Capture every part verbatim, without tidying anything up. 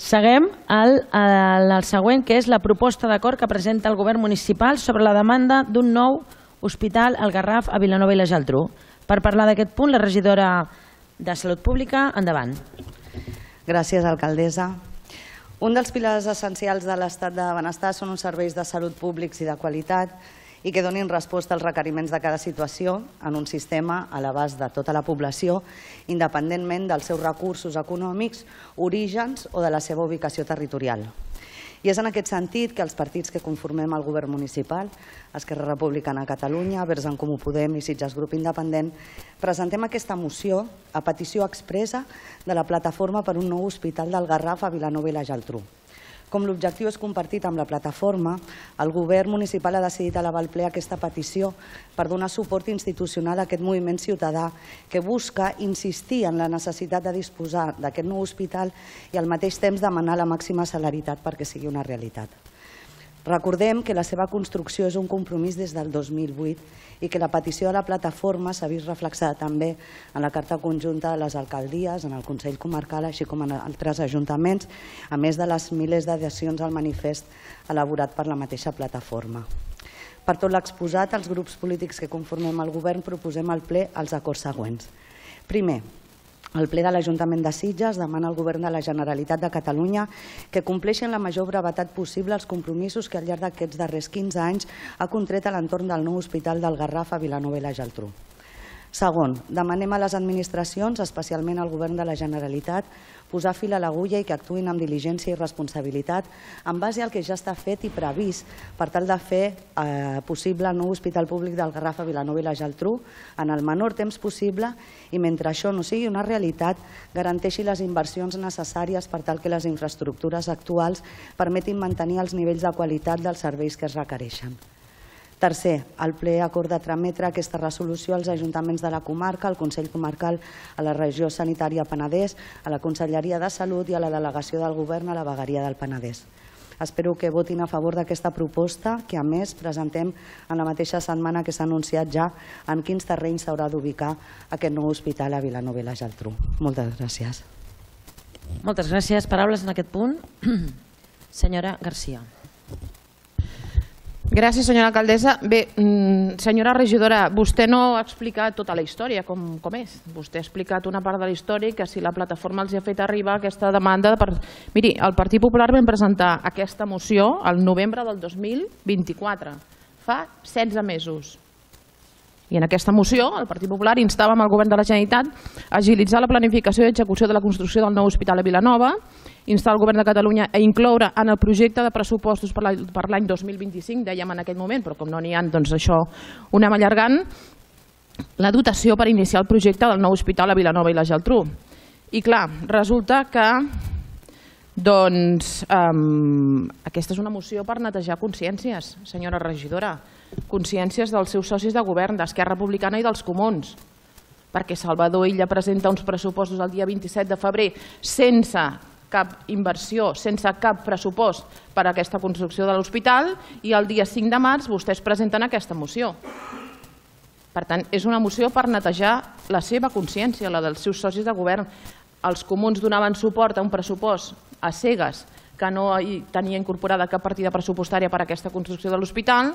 Seguem el següent, que és la proposta d'acord que presenta el govern municipal sobre la demanda d'un nou hospital al Garraf a Vilanova i la Geltrú. Per parlar d'aquest punt, la regidora de Salut Pública, endavant. Gràcies, alcaldessa. Un dels pilars essencials de l'estat de benestar són uns serveis de salut públics i de qualitat i que donin resposta als requeriments de cada situació en un sistema a l'abast de tota la població, independentment dels seus recursos econòmics, orígens o de la seva ubicació territorial. I és en aquest sentit que els partits que conformem el govern municipal, Esquerra Republicana de Catalunya, Verds en Comú Podem i Sitges Grup Independent, presentem aquesta moció a petició expressa de la plataforma per un nou hospital del Garraf a Vilanova i la Geltrú. Com l'objectiu és compartit amb la plataforma, el govern municipal ha decidit elevar al ple aquesta petició per donar suport institucional a aquest moviment ciutadà que busca insistir en la necessitat de disposar d'aquest nou hospital i al mateix temps demanar la màxima celeritat perquè sigui una realitat. Recordem que la seva construcció és un compromís des del dos mil vuit i que la petició de la plataforma s'ha vist reflexada també en la carta conjunta de les alcaldies, en el Consell Comarcal, així com en altres ajuntaments, a més de les milers d'adhesions al manifest elaborat per la mateixa plataforma. Per tot l'exposat, els grups polítics que conformem el govern proposem al ple els acords següents. Primer, el ple de l'Ajuntament de Sitges demana al Govern de la Generalitat de Catalunya que compleixi en la major brevetat possible els compromisos que al llarg d'aquests darrers quinze anys ha contret a l'entorn del nou hospital del Garraf a Vilanova i la Geltrú. Segon, demanem a les administracions, especialment al Govern de la Generalitat, posar fil a l'agulla i que actuïn amb diligència i responsabilitat en base al que ja està fet i previst per tal de fer possible el nou hospital públic del Garraf a Vilanova i la Geltrú en el menor temps possible i mentre això no sigui una realitat garanteixi les inversions necessàries per tal que les infraestructures actuals permetin mantenir els nivells de qualitat dels serveis que es requereixen. Tercer, el ple acorda trametre aquesta resolució als ajuntaments de la comarca, al Consell Comarcal, a la Regió Sanitària Penedès, a la Conselleria de Salut i a la Delegació del Govern a la Vegueria del Penedès. Espero que votin a favor d'aquesta proposta, que a més presentem en la mateixa setmana que s'ha anunciat ja en quins terrenys s'haurà d'ubicar aquest nou hospital a Vilanova i la Geltrú. Moltes gràcies. Moltes gràcies. Paraules en aquest punt. Senyora Garcia. Gràcies, senyora alcaldessa. Bé, senyora regidora, vostè no ha explicat tota la història com és. Vostè ha explicat una part de la història que si la plataforma els ha fet arribar aquesta demanda... Miri, el Partit Popular vam presentar aquesta moció el novembre del dos mil vint-i-quatre, fa setze mesos. I en aquesta moció el Partit Popular instava el Govern de la Generalitat a agilitzar la planificació i execució de la construcció del nou hospital a Vilanova, instar el Govern de Catalunya a incloure en el projecte de pressupostos per l'any dos mil vint-i-cinc, dèiem en aquell moment, però com no n'hi ha, doncs això ho anem allargant, la dotació per iniciar el projecte del nou hospital a Vilanova i la Geltrú. I clar, resulta que doncs aquesta és una moció per netejar consciències, senyora regidora, consciències dels seus socis de govern, d'Esquerra Republicana i dels Comuns, perquè Salvador Illa presenta uns pressupostos el dia vint-i-set de febrer sense cap inversió, sense cap pressupost per a aquesta construcció de l'hospital i el dia cinc de març vostès presenten aquesta moció. Per tant, és una moció per netejar la seva consciència, la dels seus socis de govern. Els Comuns donaven suport a un pressupost a cegues que no tenia incorporada cap partida pressupostària per a aquesta construcció de l'hospital.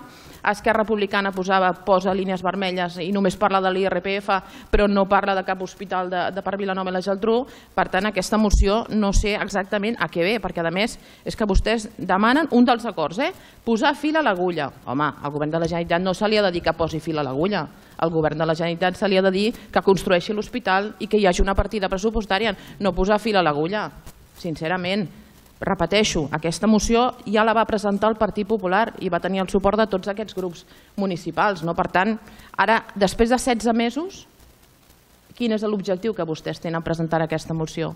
Esquerra Republicana posava, posa línies vermelles i només parla de l'I R P F, però no parla de cap hospital de per Vilanova i la Geltrú. Per tant, aquesta moció no sé exactament a què ve, perquè a més és que vostès demanen un dels acords, posar fil a l'agulla. Home, al Govern de la Generalitat no se li ha de dir que posi fil a l'agulla. Al Govern de la Generalitat se li ha de dir que construeixi l'hospital i que hi hagi una partida pressupostària, no posar fil a l'agulla, sincerament. Repeteixo, aquesta moció ja la va presentar el Partit Popular i va tenir el suport de tots aquests grups municipals. Per tant, ara, després de setze mesos, quin és l'objectiu que vostès tenen a presentar aquesta moció?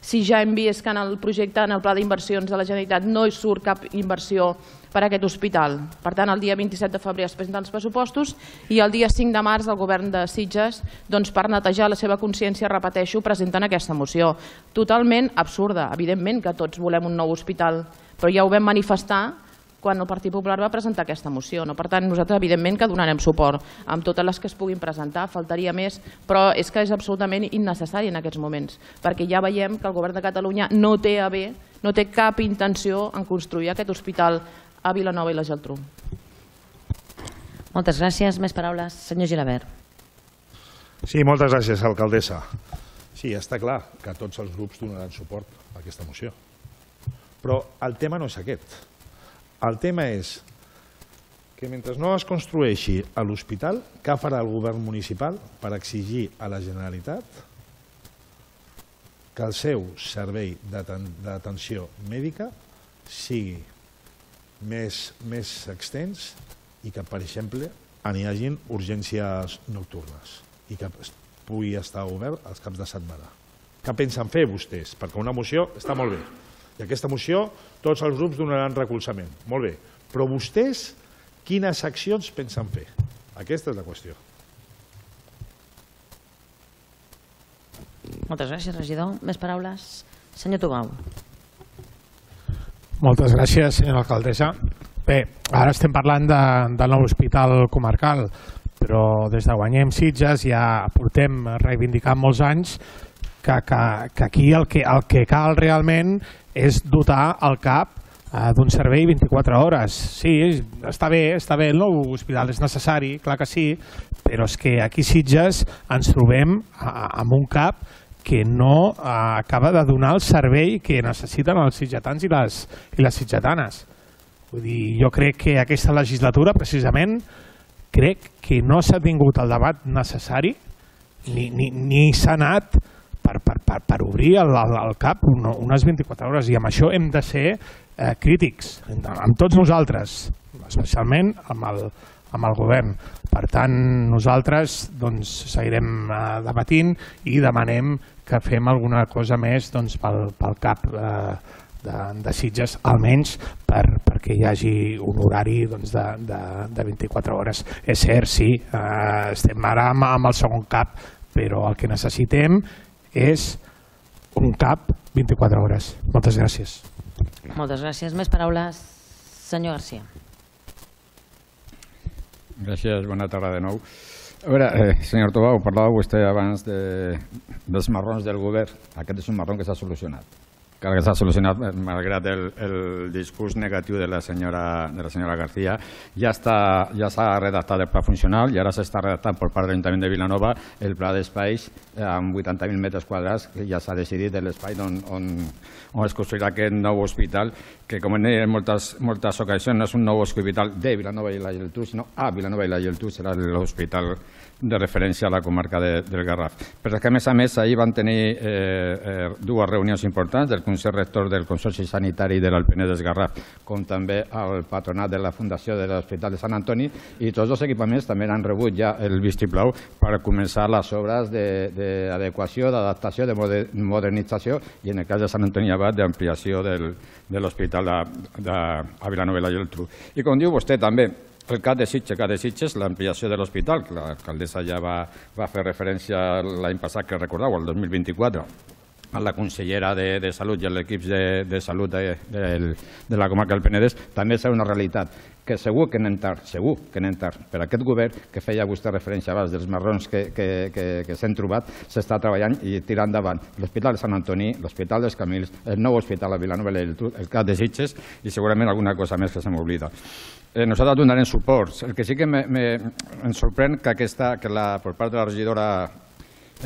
Si ja hem vist que en el projecte, en el pla d'inversions de la Generalitat, no hi surt cap inversió per a aquest hospital. Per tant, el dia vint-i-set de febrer es presenten els pressupostos i el dia cinc de març el govern de Sitges, per netejar la seva consciència, repeteixo, presenten aquesta moció. Totalment absurda. Evidentment que tots volem un nou hospital, però ja ho vam manifestar quan el Partit Popular va presentar aquesta moció. Per tant, nosaltres evidentment que donarem suport amb totes les que es puguin presentar, faltaria més, però és que és absolutament innecessari en aquests moments, perquè ja veiem que el Govern de Catalunya no té a bé no té cap intenció en construir aquest hospital a Vilanova i la Geltrú. Moltes gràcies. Més paraules. Senyor Gilabert. Sí, moltes gràcies, alcaldessa. Sí, està clar que tots els grups donaran suport a aquesta moció. Però el tema no és aquest. El tema és que mentre no es construeixi l'hospital, què farà el govern municipal per exigir a la Generalitat que el seu servei d'atenció mèdica sigui més, més extens i que, per exemple, n'hi hagin urgències nocturnes i que pugui estar obert els caps de setmana. Què pensen fer vostès? Perquè una moció està molt bé. I aquesta moció tots els grups donaran recolzament. Molt bé. Però vostès quines accions pensen fer? Aquesta és la qüestió. Moltes gràcies, regidor. Més paraules. Senyor Tubau. Moltes gràcies, senyora alcaldessa. Bé, ara estem parlant de, del nou hospital comarcal, però des de Guanyem Sitges ja portem reivindicant molts anys que, que, que aquí el que, el que cal realment és dotar el C A P eh, d'un servei vint-i-quatre hores. Sí, està bé, està bé, el nou hospital és necessari, clar que sí, però és que aquí a Sitges ens trobem amb un C A P que no eh, acaba de donar el servei que necessiten els sitgetans i les, i les sitgetanes. Vull dir, jo crec que aquesta legislatura, precisament, crec que no s'ha tingut el debat necessari ni, ni, ni s'ha anat per, per, per, per obrir el, el, el C A P unes vint-i-quatre hores, i amb això hem de ser eh, crítics, amb tots nosaltres, especialment amb el, amb el govern. Per tant, nosaltres doncs, seguirem eh, debatint i demanem que fem alguna cosa més doncs, pel, pel C A P eh, de, de Sitges, almenys per, perquè hi hagi un horari doncs, de, de, de vint-i-quatre hores. És cert, sí, eh, estem ara amb, amb el segon C A P, però el que necessitem és un C A P vint-i-quatre hores. Moltes gràcies. Moltes gràcies. Més paraules. Senyor Garcia. Gràcies, bona tarda de nou. A veure, eh, senyor Tobau, parlava vostè abans de, dels marrons del govern. Aquest és un marrón que s'ha solucionat. Que s'ha solucionat, malgrat el, el discurs negatiu de la senyora, de la senyora García. Ja està, ja s'ha redactat el pla funcional i ara s'està redactant per part de l'Ajuntament de Vilanova el pla d'espais amb vuitanta mil metres quadrats, que ja s'ha decidit de l'espai on, on, on es construirà aquest nou hospital, que com hem dit en moltes, moltes ocasions no és un nou hospital de Vilanova i la Geltrú, sinó a Vilanova i la Geltrú serà l'hospital de referència a la comarca de, del Garraf. Però que a més a més ahir van tenir eh, eh, dues reunions importants del Consell Rector del Consorci Sanitari de l'Alpenedès Garraf, com també el patronat de la Fundació de l'Hospital de Sant Antoni, i tots els equipaments també han rebut ja el vistiplau per començar les obres d'adequació, d'adaptació, de modernització i en el cas de Sant Antoni Abat d'ampliació de l'hospital a Vilanova i la Geltrú. I com diu vostè també, el C A P de Sitges, C A P de Sitges, l'ampliació de l'hospital, que l'alcaldessa ja va, va fer referència l'any passat, que recordeu, el dos mil vint-i-quatre, a la consellera de, de Salut i a l'equip de, de Salut de, de, de la comarca del Penedès, també serà una realitat, que segur que anem tard, segur que anem tard. Per aquest govern, que feia vostè referència abans dels marrons que, que, que, que s'han trobat, s'està treballant i tirant endavant l'Hospital de Sant Antoni, l'Hospital dels Camils, el nou hospital a Vilanova i la Geltrú, el C A P de Sitges i segurament alguna cosa més que se m'oblida. Eh, nosaltres donarem suport. El que sí que me, me, em sorprèn que, aquesta, que la, per part de la regidora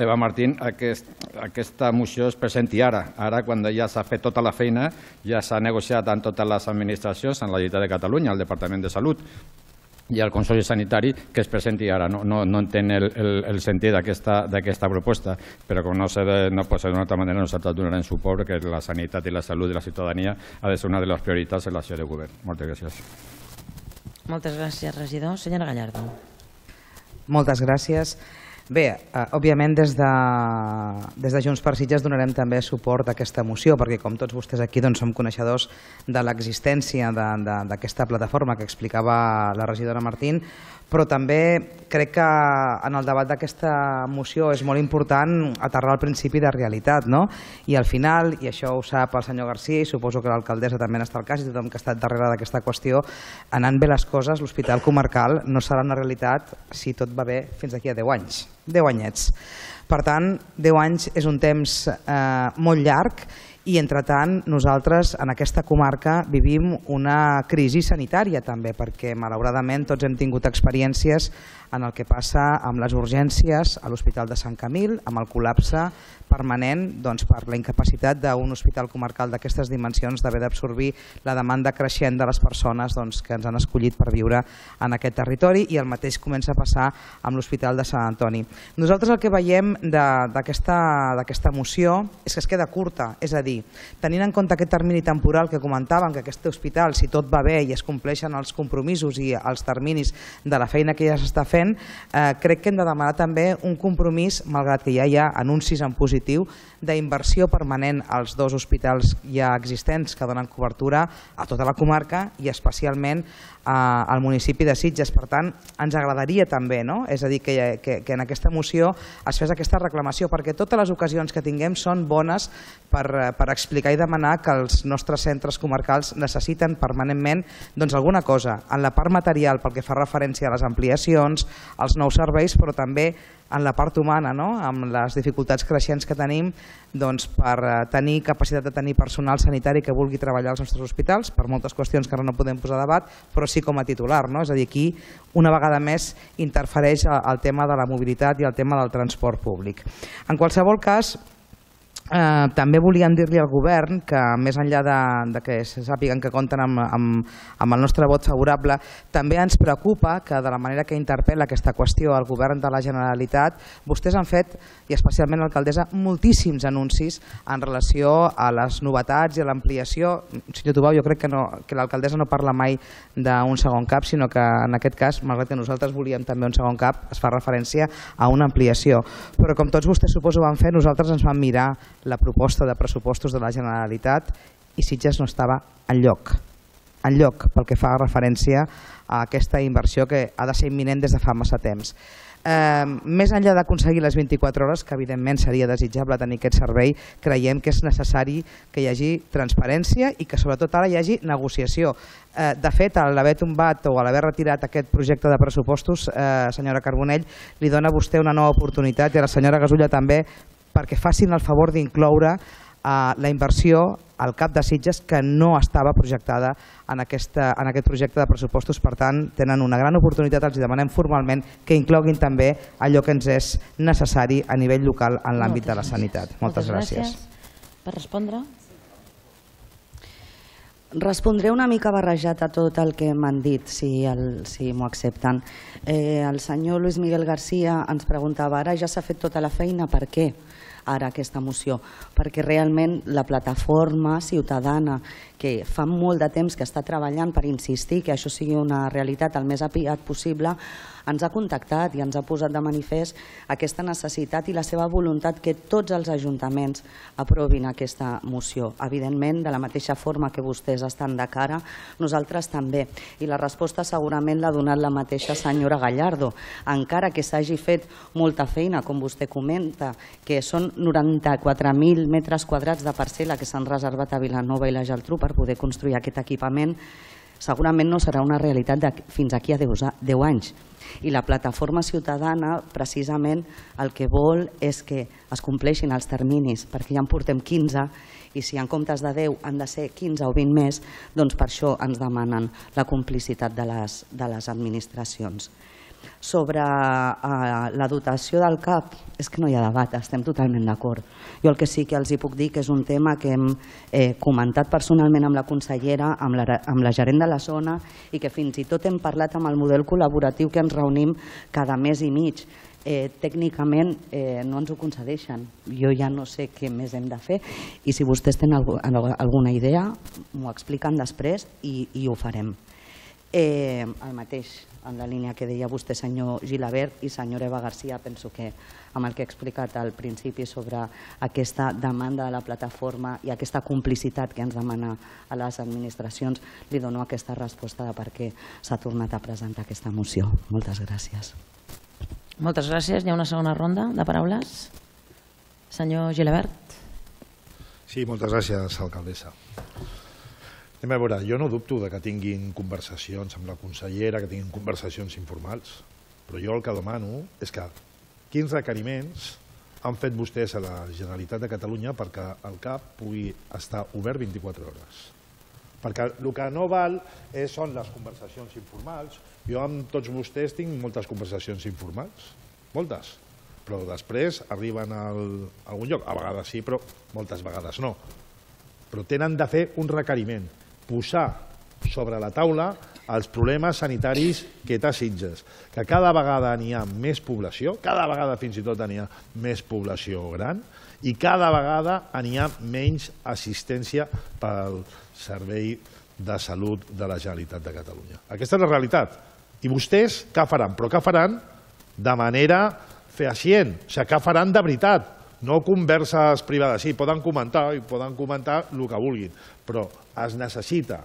Eva Martín, aquest, aquesta moció es presenti ara, ara quan ja s'ha fet tota la feina, ja s'ha negociat amb totes les administracions, amb la Generalitat de Catalunya, el Departament de Salut i el Consorci Sanitari, que es presenti ara. No, no, no entenc el, el, el sentit d'aquesta proposta, però com no, sé de, no pot ser d'una altra manera, nosaltres donarem suport perquè la sanitat i la salut de la ciutadania ha de ser una de les prioritats en l'acció de govern. Moltes gràcies. Moltes gràcies, regidor. Senyora Gallardo. Moltes gràcies. Bé, eh, òbviament des de, des de Junts per Sitges donarem també suport a aquesta moció, perquè com tots vostès aquí doncs, som coneixedors de l'existència d'aquesta plataforma que explicava la regidora Martín, però també crec que en el debat d'aquesta moció és molt important aterrar el principi de realitat, no? I al final, i això ho sap el senyor Garcia i suposo que l'alcaldessa també n'està al cas i tothom que ha estat darrere d'aquesta qüestió, anant bé les coses, l'hospital comarcal no serà una realitat si tot va bé fins d'aquí a deu anys. deu anyets. Per tant, deu anys és un temps eh, molt llarg I, entretant, nosaltres en aquesta comarca vivim una crisi sanitària també, perquè malauradament tots hem tingut experiències en el que passa amb les urgències a l'Hospital de Sant Camil, amb el col·lapse permanent doncs, per la incapacitat d'un hospital comarcal d'aquestes dimensions d'haver d'absorbir la demanda creixent de les persones doncs, que ens han escollit per viure en aquest territori, i el mateix comença a passar amb l'Hospital de Sant Antoni. Nosaltres el que veiem d'aquesta moció és que es queda curta, és a dir, tenint en compte aquest termini temporal que comentàvem, que aquest hospital, si tot va bé i es compleixen els compromisos i els terminis de la feina que ja s'està fent, eh, crec que hem de demanar també un compromís, malgrat que ja hi ha anuncis en positiu, d'inversió permanent als dos hospitals ja existents que donen cobertura a tota la comarca i especialment al municipi de Sitges. Per tant, ens agradaria també, no? És a dir, que, que, que en aquesta moció es fes aquesta reclamació, perquè totes les ocasions que tinguem són bones per, per explicar i demanar que els nostres centres comarcals necessiten permanentment doncs, alguna cosa, en la part material pel que fa referència a les ampliacions, als nous serveis, però també en la part humana, no? Amb les dificultats creixents que tenim doncs, per tenir capacitat de tenir personal sanitari que vulgui treballar als nostres hospitals, per moltes qüestions que ara no podem posar a debat, però sí com a titular, no? És a dir, aquí una vegada més interfereix el tema de la mobilitat i el tema del transport públic. En qualsevol cas, Eh, també volíem dir-li al govern que, més enllà de, de que se sàpiguen que compten amb, amb, amb el nostre vot favorable, també ens preocupa que de la manera que interpel·la aquesta qüestió al govern de la Generalitat, vostès han fet, i especialment l'alcaldessa, moltíssims anuncis en relació a les novetats i a l'ampliació. Senyor Tubau, jo crec que, no, que l'alcaldessa no parla mai d'un segon cap, sinó que en aquest cas, malgrat que nosaltres volíem també un segon cap, es fa referència a una ampliació. Però com tots vostès suposo van fer, nosaltres ens vam mirar la proposta de pressupostos de la Generalitat i Sitges no estava enlloc, enlloc pel que fa referència a aquesta inversió que ha de ser imminent des de fa massa temps. Eh, més enllà d'aconseguir les vint-i-quatre hores, que evidentment seria desitjable tenir aquest servei, creiem que és necessari que hi hagi transparència i que sobretot ara hi hagi negociació. Eh, de fet, a l'haver tombat o a l'haver retirat aquest projecte de pressupostos, eh, senyora Carbonell, li dona a vostè una nova oportunitat i a la senyora Gasulla també, perquè facin el favor d'incloure uh, la inversió al cap de Sitges que no estava projectada en, aquesta, en aquest projecte de pressupostos. Per tant, tenen una gran oportunitat, els demanem formalment que incloguin també allò que ens és necessari a nivell local en l'àmbit de la sanitat. Moltes, Moltes gràcies. gràcies. Per respondre? Respondré una mica barrejat a tot el que m'han dit, si, el, si m'ho accepten. Eh, el senyor Luis Miguel García ens preguntava, ara ja s'ha fet tota la feina, per què ara aquesta moció? Perquè realment la plataforma ciutadana, que fa molt de temps que està treballant per insistir que això sigui una realitat el més aviat possible, ens ha contactat i ens ha posat de manifest aquesta necessitat i la seva voluntat que tots els ajuntaments aprovin aquesta moció. Evidentment, de la mateixa forma que vostès estan de cara, nosaltres també. I la resposta segurament l'ha donat la mateixa senyora Gallardo. Encara que s'hagi fet molta feina, com vostè comenta, que són noranta-quatre mil metres quadrats de parcel·la que s'han reservat a Vilanova i la Geltrú per poder construir aquest equipament, segurament no serà una realitat de fins aquí a deu anys. I la plataforma ciutadana precisament el que vol és que es compleixin els terminis, perquè ja en portem quinze i si en comptes de deu han de ser quinze o vint més, doncs per això ens demanen la complicitat de les, de les administracions. Sobre uh, la dotació del C A P, és que no hi ha debat, estem totalment d'acord. Jo el que sí que els hi puc dir que és un tema que hem eh, comentat personalment amb la consellera, amb la, amb la gerent de la zona i que fins i tot hem parlat amb el model col·laboratiu que ens reunim cada mes i mig. Eh, tècnicament eh, no ens ho concedeixen. Jo ja no sé què més hem de fer i si vostès tenen alguna idea m'ho expliquen després i, i ho farem. Eh, el mateix, en la línia que deia vostè, senyor Gilabert i senyora Eva García, penso que amb el que he explicat al principi sobre aquesta demanda de la plataforma i aquesta complicitat que ens demana a les administracions, li dono aquesta resposta de per què s'ha tornat a presentar aquesta moció. Moltes gràcies. Moltes gràcies. Hi ha una segona ronda de paraules. Senyor Gilabert. Sí, moltes gràcies, alcaldessa. Anem a veure, jo no dubto de que tinguin conversacions amb la consellera, que tinguin conversacions informals, però jo el que demano és que quins requeriments han fet vostès a la Generalitat de Catalunya perquè el C A P pugui estar obert vint-i-quatre hores. Perquè el que no val són les conversacions informals. Jo amb tots vostès tinc moltes conversacions informals, moltes, però després arriben a algun lloc, a vegades sí, però moltes vegades no. Però tenen de fer un requeriment, posar sobre la taula els problemes sanitaris que té Sitges, que cada vegada n'hi ha més població, cada vegada fins i tot n'hi ha més població gran i cada vegada n'hi ha menys assistència pel Servei de Salut de la Generalitat de Catalunya. Aquesta és la realitat. I vostès què faran? Però què faran de manera fehacient? O sigui, què faran de veritat? No converses privades. Sí, poden comentar i poden comentar el que vulguin, però es necessita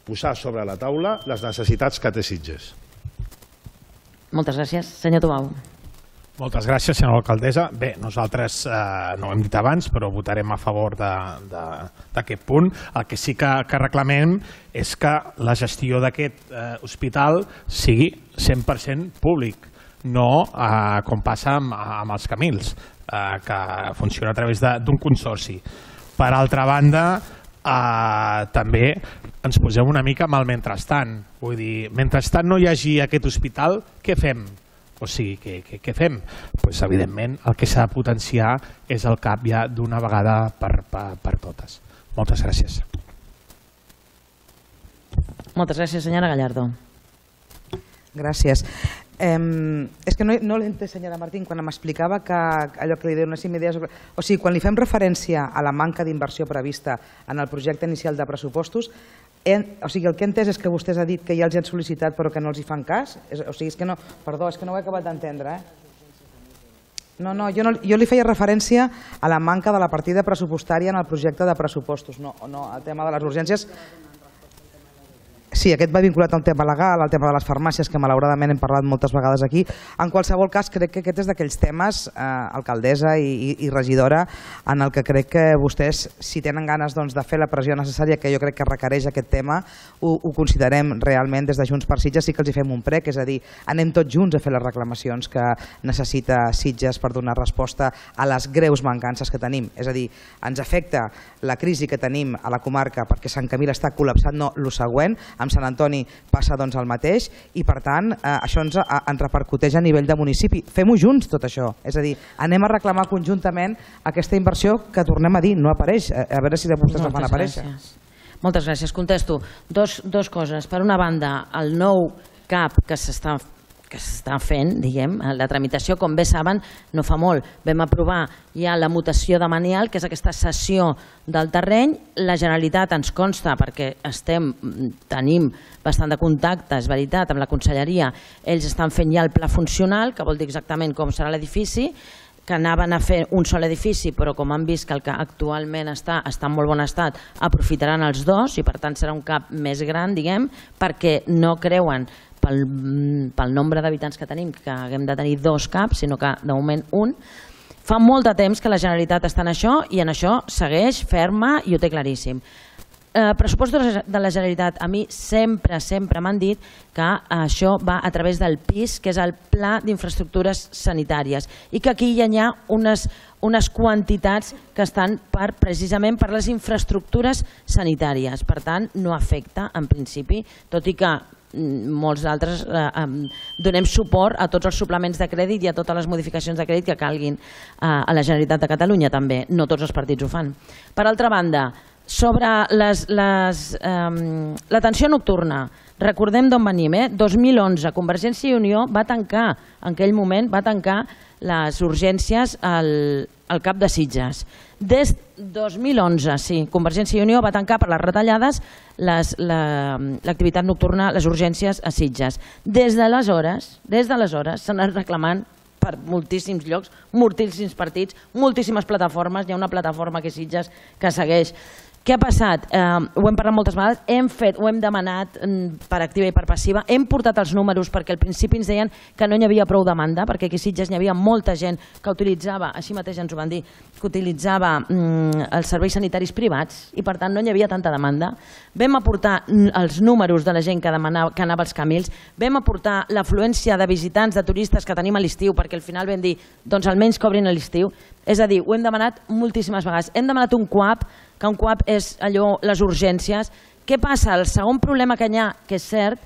posar sobre la taula les necessitats que té Sitges. Moltes gràcies. Senyor Tobau. Moltes gràcies, senyora alcaldessa. Bé, nosaltres eh, no ho hem dit abans, però votarem a favor d'aquest punt. El que sí que, que reclamem és que la gestió d'aquest eh, hospital sigui cent per cent públic, no eh, com passa amb, amb els Camils, eh, que funciona a través d'un consorci. Per altra banda, eh, també ens posem una mica amb el mentrestant. Vull dir, mentrestant no hi hagi aquest hospital, què fem? O sigui, què, què, què fem? Pues, evidentment, el que s'ha de potenciar és el C A P ja d'una vegada per, per, per totes. Moltes gràcies. Moltes gràcies, senyora Gallardo. Gràcies. Eh, és que no, no l'he entès, senyora Martín, quan m'explicava que allò que li donéssim idees... O sigui, quan li fem referència a la manca d'inversió prevista en el projecte inicial de pressupostos, he, o sigui, el que he entès és que vostès ha dit que ja els han sol·licitat però que no els hi fan cas? És, o sigui, és que no... Perdó, és que no ho he acabat d'entendre, eh? No, no, jo, no, jo li feia referència a la manca de la partida pressupostària en el projecte de pressupostos, no, no al tema de les urgències. Sí, aquest va vinculat al tema legal, al tema de les farmàcies, que malauradament hem parlat moltes vegades aquí. En qualsevol cas, crec que aquest és d'aquells temes, eh, alcaldessa i, i, i regidora, en el que crec que vostès, si tenen ganes doncs, de fer la pressió necessària que jo crec que requereix aquest tema, ho, ho considerem realment des de Junts per Sitges, sí que els hi fem un prec, és a dir, anem tots junts a fer les reclamacions que necessita Sitges per donar resposta a les greus mancances que tenim. És a dir, ens afecta la crisi que tenim a la comarca perquè Sant Camil està col·lapsat, no, el següent, amb Sant Antoni passa doncs el mateix i per tant eh, això ens, a, ens repercuteix a nivell de municipi. Fem-ho junts tot això, és a dir, anem a reclamar conjuntament aquesta inversió que tornem a dir, no apareix, a, a veure si de vostès la fan aparèixer. Moltes gràcies. Contesto dos, dos coses. Per una banda, el nou C A P que s'està que s'està fent, diguem, la tramitació, com bé saben, no fa molt. Vam aprovar ja la mutació de Manial, que és aquesta cessió del terreny. La Generalitat ens consta, perquè estem, tenim bastant de contacte, és veritat, amb la conselleria, ells estan fent ja el pla funcional, que vol dir exactament com serà l'edifici, que anaven a fer un sol edifici, però com han vist que el que actualment està, està en molt bon estat, aprofitaran els dos i per tant serà un C A P més gran, diguem, perquè no creuen pel, pel nombre d'habitants que tenim que haguem de tenir dos C A Ps, sinó que de moment un. Fa molt de temps que la Generalitat està en això i en això segueix ferma i ho té claríssim. Eh, pressupostos de la Generalitat, a mi sempre, sempre m'han dit que això va a través del P I S, que és el Pla d'Infraestructures Sanitàries, i que aquí hi ha unes, unes quantitats que estan per, precisament per les infraestructures sanitàries. Per tant, no afecta, en principi, tot i que molts d'altres eh, donem suport a tots els suplements de crèdit i a totes les modificacions de crèdit que calguin eh, a la Generalitat de Catalunya també, no tots els partits ho fan. Per altra banda, sobre les, les, eh, l'atenció nocturna, recordem d'on venim, eh? dos mil onze, Convergència i Unió va tancar, en aquell moment va tancar les urgències al, al cap de Sitges. Des dos mil onze, sí, Convergència i Unió va tancar per les retallades l'activitat nocturna, les urgències a Sitges. Des d'aleshores, des d'aleshores s'han anat reclamant per moltíssims llocs, moltíssims partits, moltíssimes plataformes. Hi ha una plataforma que Sitges que segueix. Què ha passat? Eh, ho hem parlat moltes vegades, hem fet, ho hem demanat per activa i per passiva, hem portat els números perquè al principi ens deien que no hi havia prou demanda, perquè aquí a Sitges hi havia molta gent que utilitzava, així mateix ens ho van dir, que utilitzava mm, els serveis sanitaris privats i per tant no hi havia tanta demanda. Vam aportar els números de la gent que, demanava, que anava als Camils, vam aportar l'afluència de visitants, de turistes que tenim a l'estiu, perquè al final vam dir, doncs almenys cobrin a l'estiu, És a dir, ho hem demanat moltíssimes vegades. Hem demanat un C U A P, que un C U A P és allò, les urgències. Què passa? El segon problema que hi ha, que és cert,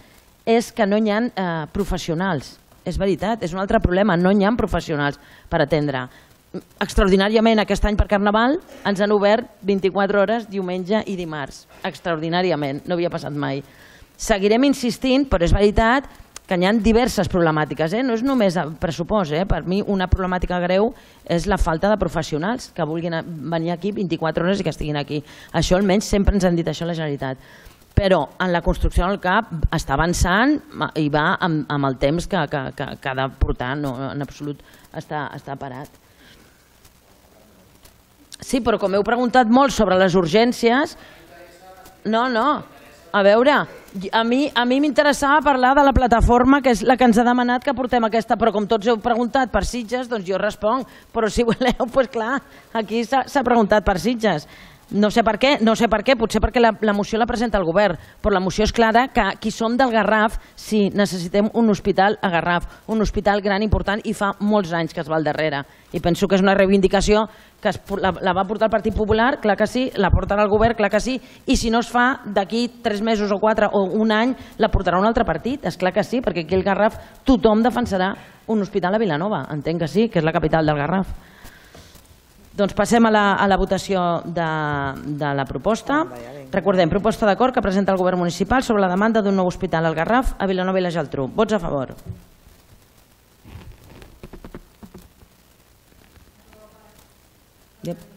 és que no hi ha eh, professionals. És veritat, és un altre problema, no hi ha professionals per atendre. Extraordinàriament aquest any per Carnaval ens han obert vint-i-quatre hores diumenge i dimarts. Extraordinàriament, no havia passat mai. Seguirem insistint, però és veritat que hi ha diverses problemàtiques. Eh? No és només pressupost. Eh? Per mi una problemàtica greu és la falta de professionals que vulguin venir aquí vint-i-quatre hores i que estiguin aquí. Això almenys sempre ens han dit això a la Generalitat. Però en la construcció del C A P està avançant i va amb, amb el temps que, que, que, que ha de portar, no, en absolut està, està parat. Sí, però com heu preguntat molt sobre les urgències... No, no, a veure, a mi a mi m'interessava parlar de la plataforma, que és la que ens ha demanat que portem aquesta, però com tots heu preguntat per Sitges, doncs jo responc, però si voleu, doncs clar, aquí s'ha preguntat per Sitges. No sé per què, no sé per què, potser perquè la, la moció la presenta el govern, però la moció és clara que qui som del Garraf, sí, necessitem un hospital a Garraf, un hospital gran, important, i fa molts anys que es va al darrere. I penso que és una reivindicació que es, la, la va portar el Partit Popular, clar que sí, la portarà el govern, clar que sí, i si no es fa d'aquí tres mesos o quatre o un any, la portarà un altre partit, és clar que sí, perquè aquí al Garraf tothom defensarà un hospital a Vilanova, entenc que sí, que és la capital del Garraf. Doncs passem a la, a la votació de, de la proposta. Recordem, proposta d'acord que presenta el govern municipal sobre la demanda d'un nou hospital al Garraf a Vilanova i la Geltrú. Vots a favor. Yep.